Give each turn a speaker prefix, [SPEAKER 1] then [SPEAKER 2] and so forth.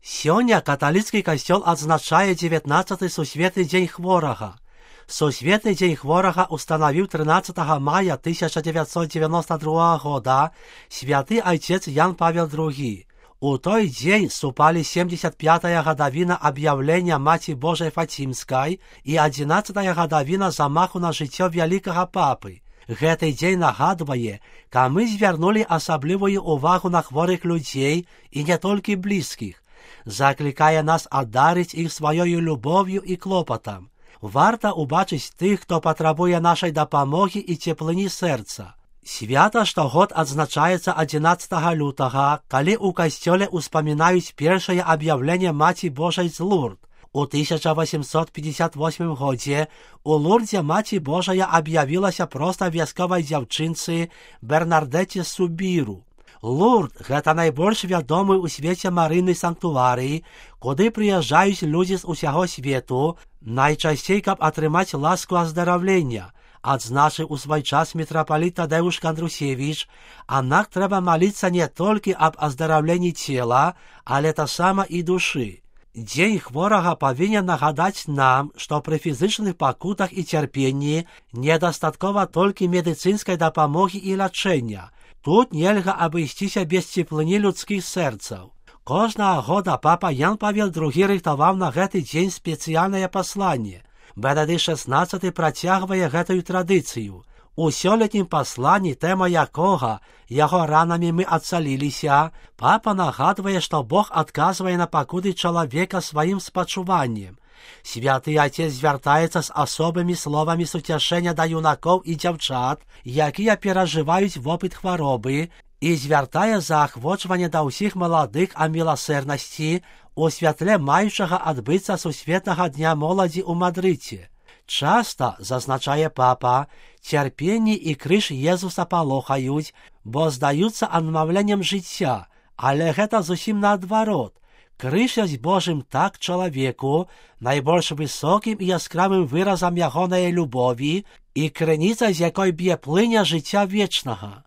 [SPEAKER 1] Сёння каталіцкі касцёл адзначае 19-й сусветны дзень хворага. Сусветны дзень хворага устанавіў 13 мая 1992 года святы айцец Ян Павел II. У той дзень супалі 75-я гадавіна аб'яўлення Маці Божай Фацімскай і 11-я гадавіна замаху на жыццё вялікага папы. Гэты дзень нагадвае, ка мы звярнулі асаблівую увагу на хворых людзей і не толькі блізкіх. Заклікае нас аддарыць іх сваёю любов'ю і клопатам. Варта ўбачыць тых, хто патрабуе нашай дапамогі і цеплыні сэрца. Свята штогод адзначаецца 11 лютага, калі ў касцёле ўспамінаюць першае аб'яўленне Маці Божай з Лурд. У 1858 годзе у Лурдзе Маці Божая аб'явілася проста вясковай дзяўчынцы Бернардэце Субіру. Лурд – гэта найбольш вядомы ў свеце марыйны санктуарый, куды прыязджаюць людзі з усяго свету, найчасцей, каб атрымаць ласку аздараўлення. Адзначыў у свой час мітрапаліт Тадэўш Кандрусевіч, аднак трэба маліцца не толькі аб аздараўленні цела, але таксама і душы. Дзень хворага павінен нагадаць нам, што пры фізычных пакутах і цярпенні недастаткова толькі медыцынскай дапамогі і лячэння. Тут нельга абысціся без цеплыні людскіх сэрцаў. Кожнага года папа Ян Павел II рыхтаваў на гэты дзень спецыяльнае пасланне. Бенедыкт XVI працягвае гэтую традыцыю. У сёлетнім пасланні, тэма якога «Яго ранамі мы адцаліліся», папа нагадвае, што Бог адказвае на пакуты чалавека сваім спачуваннем. Святы Айцец звяртаецца з асобымі словамі суцяшэння да юнакоў і дзяўчат, якія перажываюць вопыт хваробы, і звяртае заахвочванне да ўсіх маладых а міласэрнасці у святле маючага адбыцца сусветнага дня моладзі ў Мадрыдзе. Часта, зазначае папа, цярпенні і крыж Езуса палохаюць, бо здаюцца адмаўленнем жыцця, але гэта зусім наадварот. Крыж ёсць Божым так чалавеку, найбольш высокім і яскравым выразам ягонай любові і крыніца, з якой б'е плыня жыцця вечнага.